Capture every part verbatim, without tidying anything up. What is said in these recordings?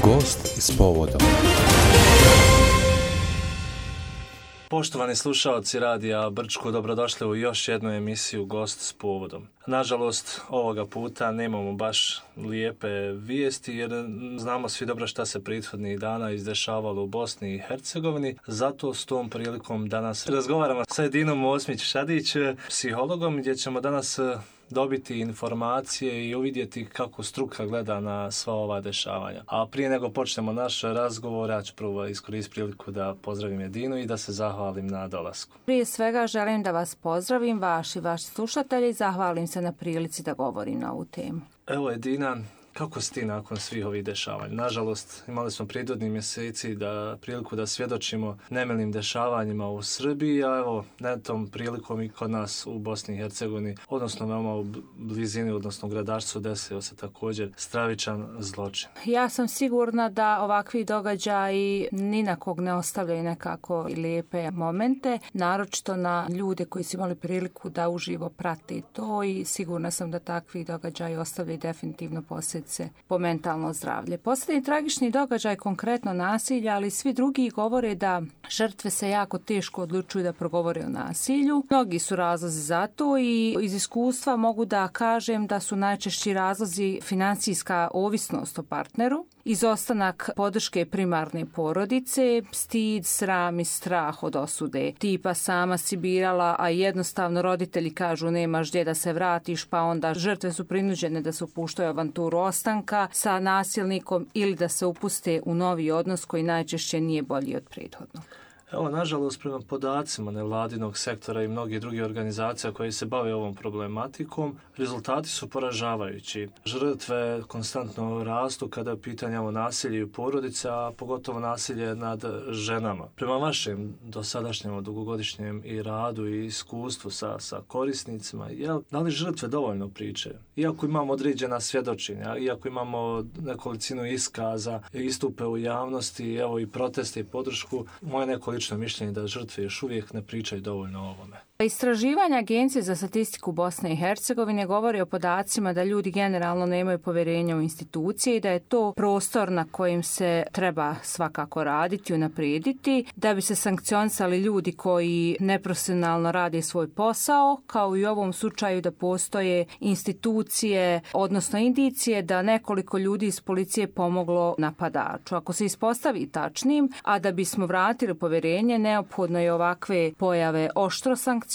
Gost s povodom. Poštovani slušaoci Radija Brčko, dobrodošli u još jednu emisiju Gost s povodom. Nažalost, ovoga puta nemamo baš lijepe vijesti jer znamo svi dobro šta se prethodnih dana izdešavalo u Bosni i Hercegovini. Zato s tom prilikom danas razgovaramo sa Edinom Osmić-Šadić, psihologom, gdje ćemo danas dobiti informacije i uvidjeti kako struka gleda na sva ova dešavanja. A prije nego počnemo naš razgovor, ja ću prvo iskoristiti priliku da pozdravim Edinu i da se zahvalim na dolasku. Prije svega želim da vas pozdravim, vaši i vaši slušatelji, i zahvalim se na prilici da govorim na ovu temu. Evo Edina, kako si ti nakon svih ovih dešavanja? Nažalost, imali smo prethodnih mjeseci da priliku da svjedočimo nemilim dešavanjima u Srbiji, a evo, na tom prilikom i kod nas u Bosni i Hercegovini, odnosno veoma u blizini, odnosno u gradašcu, desio se također stravičan zločin. Ja sam sigurna da ovakvi događaji ni na kog ne ostavljaju nekako lijepe momente, naročito na ljude koji su imali priliku da uživo prati to, i sigurna sam da takvi događaji ostavljaju definitivno posljedice po mentalno zdravlje. Posljednji tragični događaj, konkretno nasilja, ali svi drugi govore da žrtve se jako teško odlučuju da progovore o nasilju. Mnogi su razlozi za to i iz iskustva mogu da kažem da su najčešći razlozi financijska ovisnost o partneru, izostanak podrške primarne porodice, stid, sram i strah od osude. Tipa sama si birala, a jednostavno roditelji kažu nemaš gdje da se vratiš, pa onda žrtve su prinuđene da se upuštaju avanturu ostanka sa nasilnikom ili da se upuste u novi odnos koji najčešće nije bolji od prethodnog. Evo, nažalost, prema podacima nevladinog sektora i mnogih drugih organizacija koji se bave ovom problematikom, rezultati su poražavajući. Žrtve konstantno rastu kada je pitanje o nasilju u porodici, a pogotovo nasilje nad ženama. Prema vašem dosadašnjem dugogodišnjem i radu i iskustvu sa, sa korisnicima, jel, da li žrtve dovoljno priče? Iako imamo određena svjedočenja, iako imamo nekolicinu iskaza, istupe u javnosti, evo i proteste i podršku, moje nekoliko mišljenje da žrtve još uvijek ne pričaju dovoljno o ovome. Istraživanje Agencije za statistiku Bosne i Hercegovine govori o podacima da ljudi generalno nemaju povjerenja u institucije i da je to prostor na kojim se treba svakako raditi i unaprijediti da bi se sankcionisali ljudi koji neprofesionalno rade svoj posao, kao i u ovom slučaju da postoje institucije, odnosno indicije da nekoliko ljudi iz policije pomoglo napadaču. Ako se ispostavi tačnim, a da bismo vratili povjerenje, neophodno je ovakve pojave oštro sankcionisati,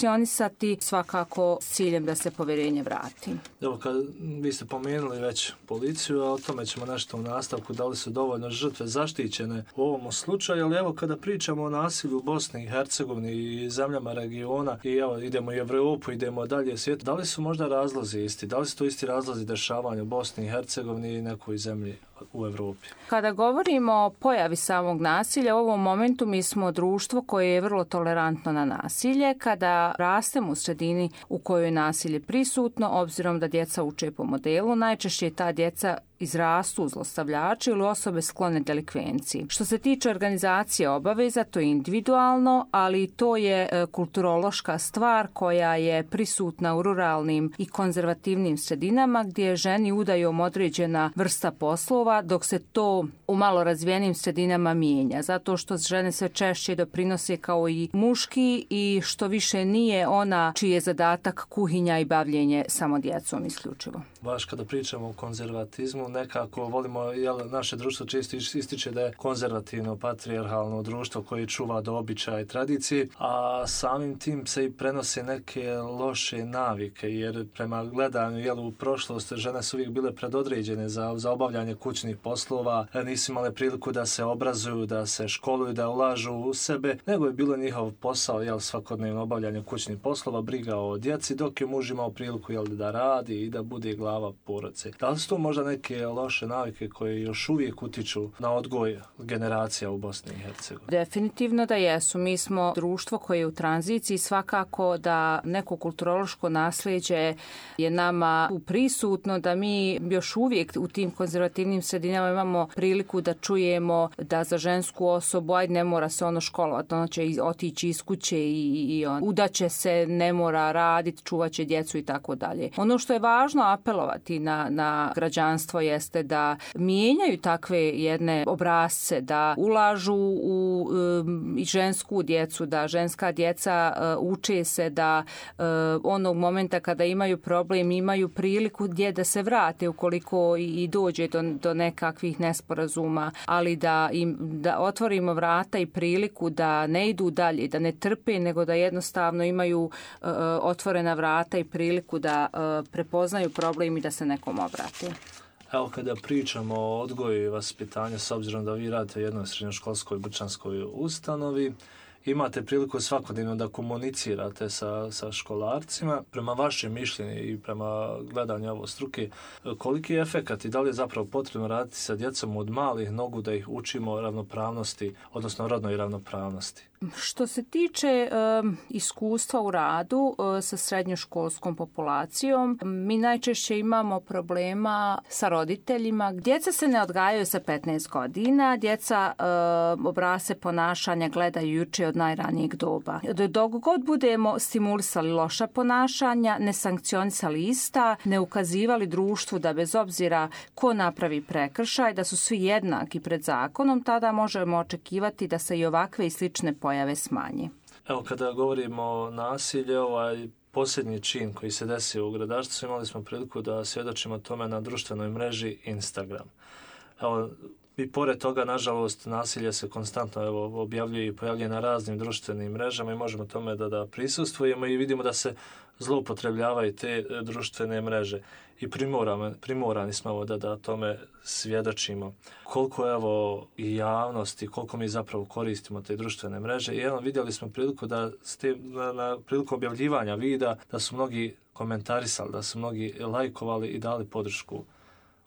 svakako s ciljem da se povjerenje vrati. Evo, kad vi ste pomenuli već policiju, a o tome ćemo nešto u nastavku, da li su dovoljno žrtve zaštićene u ovom slučaju, ali evo kada pričamo o nasilju u Bosni i Hercegovini i zemljama regiona, i evo idemo u Evropu, idemo dalje u svijetu, da li su možda razlozi isti? Da li su to isti razlozi dešavanja u Bosni i Hercegovini i nekoj zemlji u Evropi? Kada govorimo o pojavi samog nasilja, u ovom momentu mi smo društvo koje je vrlo tolerantno na nasilje. Kada rastemo u sredini u kojoj je nasilje prisutno, obzirom da djeca uče po modelu, najčešće ta djeca izrastu zlostavljači ili osobe sklone delikvenciji. Što se tiče organizacije obaveza, to je individualno, ali to je e, kulturološka stvar koja je prisutna u ruralnim i konzervativnim sredinama gdje ženi udajom određena vrsta poslova, dok se to u malo razvijenim sredinama mijenja. Zato što žene sve češće doprinose kao i muški i što više nije ona čiji je zadatak kuhinja i bavljenje samo djecom isključivo. Baš kada pričamo o konzervatizmu, nekako volimo, jel, naše društvo često ističe da je konzervativno, patrijarhalno društvo koje čuva do običaja i tradicije, a samim tim se i prenose neke loše navike, jer prema gledanju, jel, u prošlost žene su uvijek bile predodređene za, za obavljanje kućnih poslova, nisu imale priliku da se obrazuju, da se školuju, da ulažu u sebe, nego je bilo njihov posao, jel, svakodnevno obavljanje kućnih poslova, briga o djeci, dok je muž imao priliku, jel, da radi i da bude glava porodice. Da li su to možda neke loše navike koje još uvijek utiču na odgoj generacija u Bosni i Hercegovini? Definitivno da jesu. Mi smo društvo koje je u tranziciji, svakako da neko kulturološko nasljeđe je nama prisutno, da mi još uvijek u tim konzervativnim sredinama imamo priliku da čujemo da za žensku osobu, ajde, ne mora se ono školovati, ono će otići iz kuće i, i on, udaće se, ne mora raditi, čuvat će djecu i tako dalje. Ono što je važno apel djelovati na, na građanstvo jeste da mijenjaju takve jedne obrasce, da ulažu u um, i žensku djecu, da ženska djeca uh, uče se da uh, onog momenta kada imaju problem imaju priliku gdje da se vrate ukoliko i, i dođe do, do nekakvih nesporazuma, ali da im da otvorimo vrata i priliku da ne idu dalje, da ne trpe, nego da jednostavno imaju uh, otvorena vrata i priliku da uh, prepoznaju problem i da se nekom obrate. Evo, kada pričamo o odgoju i vaspitanju, s obzirom da vi radite u jednoj srednjoškolskoj brčanskoj ustanovi, imate priliku svakodnevno da komunicirate sa, sa školarcima. Prema vašem mišljenju i prema gledanju ovo struke, koliki je efekat i da li je zapravo potrebno raditi sa djecom od malih nogu da ih učimo ravnopravnosti, odnosno rodnoj ravnopravnosti? Što se tiče um, iskustva u radu uh, sa srednjoškolskom populacijom, mi najčešće imamo problema sa roditeljima. Djeca se ne odgajaju sa petnaest godina, djeca uh, obrasce ponašanja gledaju i uče od najranijeg doba. Dok god budemo stimulisali loša ponašanja, ne sankcionisali ista, ne ukazivali društvu da bez obzira ko napravi prekršaj, da su svi jednaki pred zakonom, tada možemo očekivati da se i ovakve i slične pojave smanje. Evo, kada govorimo o nasilju, ovaj posljednji čin koji se desio u Gradačcu, imali smo priliku da svjedočimo tome na društvenoj mreži Instagram. Evo, i pored toga, nažalost, nasilje se konstantno evo, objavljuje i pojavljuje na raznim društvenim mrežama i možemo tome da, da prisustvujemo i vidimo da se zloupotrebljavaju te društvene mreže. I primorani, primorani smo evo, da, da tome svjedočimo. Koliko evo i javnosti, koliko mi zapravo koristimo te društvene mreže. I evo, vidjeli smo priliku da ste, na, na priliku objavljivanja vida da su mnogi komentarisali, da su mnogi lajkovali i dali podršku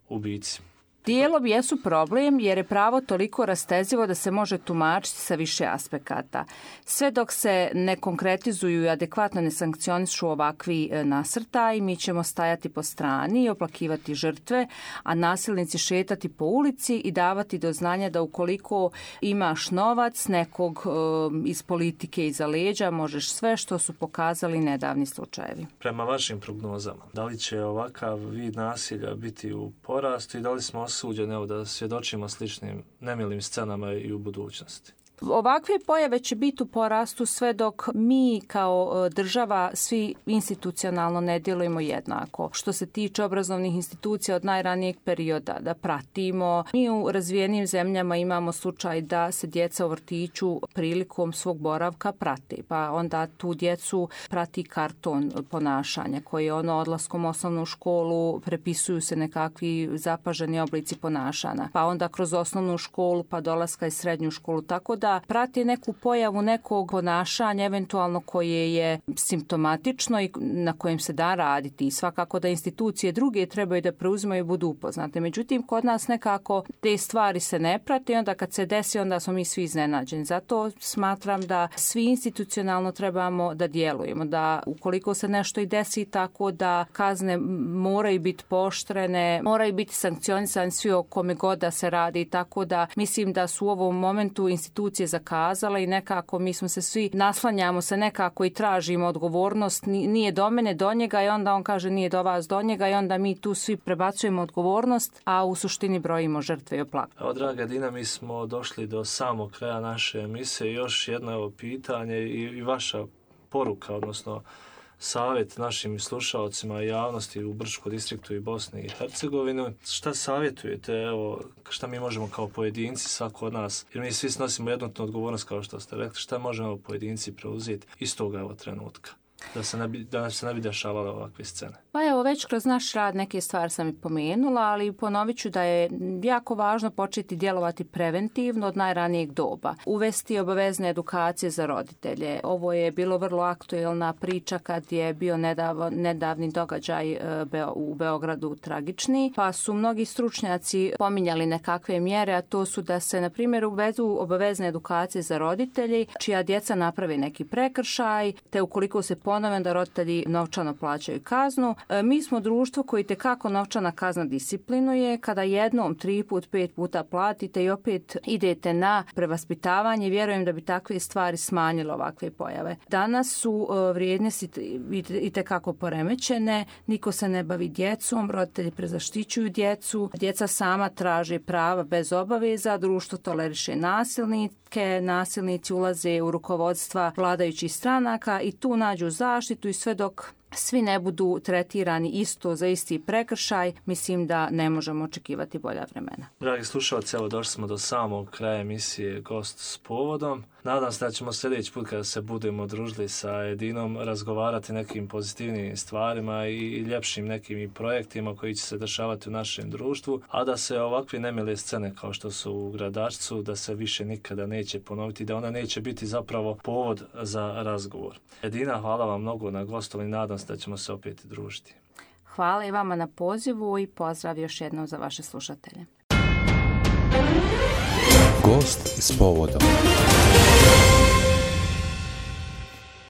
ubici. Dijelom jesu problem jer je pravo toliko rastezivo da se može tumačiti sa više aspekata. Sve dok se ne konkretizuju i adekvatno ne sankcionišu ovakvi nasrtaji, mi ćemo stajati po strani i oplakivati žrtve, a nasilnici šetati po ulici i davati do znanja da ukoliko imaš novac nekog um, iz politike iza leđa, možeš sve, što su pokazali nedavni slučajevi. Prema vašim prognozama, da li će ovakav vid nasilja biti u porastu i da li smo osuđeni evo, da svjedočimo sličnim nemilim scenama i u budućnosti? Ovakve pojave će biti u porastu sve dok mi kao država svi institucionalno ne djelujemo jednako. Što se tiče obrazovnih institucija od najranijeg perioda, da pratimo. Mi u razvijenim zemljama imamo slučaj da se djeca u vrtiću prilikom svog boravka prate, pa onda tu djecu prati karton ponašanja koji ono odlaskom u osnovnu školu prepisuju se nekakvi zapaženi oblici ponašanja, pa onda kroz osnovnu školu pa dolaska i srednju školu, tako da prati neku pojavu nekog ponašanja eventualno koje je simptomatično i na kojem se da raditi. I svakako da institucije druge trebaju da preuzimaju i budu upoznate. Međutim, kod nas nekako te stvari se ne prate i onda kad se desi, onda smo mi svi iznenađeni. Zato smatram da svi institucionalno trebamo da djelujemo. Da ukoliko se nešto i desi tako da kazne moraju biti pooštrene, moraju biti sankcionisani svi o kome god da se radi. Tako da mislim da su u ovom momentu institucije zakazala i nekako mi smo se svi naslanjamo se nekako i tražimo odgovornost, nije do mene, do njega i onda on kaže nije do vas, do njega i onda mi tu svi prebacujemo odgovornost, a u suštini brojimo žrtve i oplak. Evo, draga Dina, mi smo došli do samog kraja naše emisije. Još jedno evo pitanje i, i vaša poruka, odnosno savjet našim slušalcima i javnosti u Brčkom distriktu i Bosni i Hercegovini. Šta savjetujete, evo, šta mi možemo kao pojedinci, svako od nas, jer mi svi snosimo jednotnu odgovornost, kao što ste rekli, šta možemo pojedinci preuzeti iz toga evo trenutka? Da se ne bi, da se ne bi dešavale ovakve scene. Pa evo, već kroz naš rad neke stvari sam i pomenula, ali ponovit ću da je jako važno početi djelovati preventivno od najranijeg doba. Uvesti obavezne edukacije za roditelje. Ovo je bilo vrlo aktuelna priča kad je bio nedav, nedavni događaj u Beogradu tragični, pa su mnogi stručnjaci pominjali nekakve mjere, a to su da se, na primjer, uvedu obavezne edukacije za roditelji čija djeca naprave neki prekršaj, te ukoliko se ponove da roditelji novčano plaćaju kaznu. E, mi smo društvo koji tekako novčana kazna disciplinuje. Kada jednom, tri put, pet puta platite i opet idete na prevaspitavanje, vjerujem da bi takve stvari smanjile ovakve pojave. Danas su e, vrijednosti itekako poremećene, niko se ne bavi djecom, roditelji prezaštićuju djecu, djeca sama traže prava bez obaveza, društvo toleriše nasilnike, nasilnici ulaze u rukovodstva vladajućih stranaka i tu nađu zaštitu i sve dok svi ne budu tretirani isto za isti prekršaj, mislim da ne možemo očekivati bolja vremena. Dragi slušalci, evo došli smo do samog kraja emisije Gost s povodom. Nadam se da ćemo sljedeći put kada se budemo družili sa Edinom razgovarati nekim pozitivnim stvarima i ljepšim nekim i projektima koji će se dešavati u našem društvu, a da se ovakve nemile scene kao što su u Gradačcu, da se više nikada neće ponoviti, da ona neće biti zapravo povod za razgovor. Edina, hvala vam mnogo na gostovanju, nadam se da ćemo se opet družiti. Hvala i vama na pozivu i pozdrav još jednom za vaše slušatelje. Gost s povodom.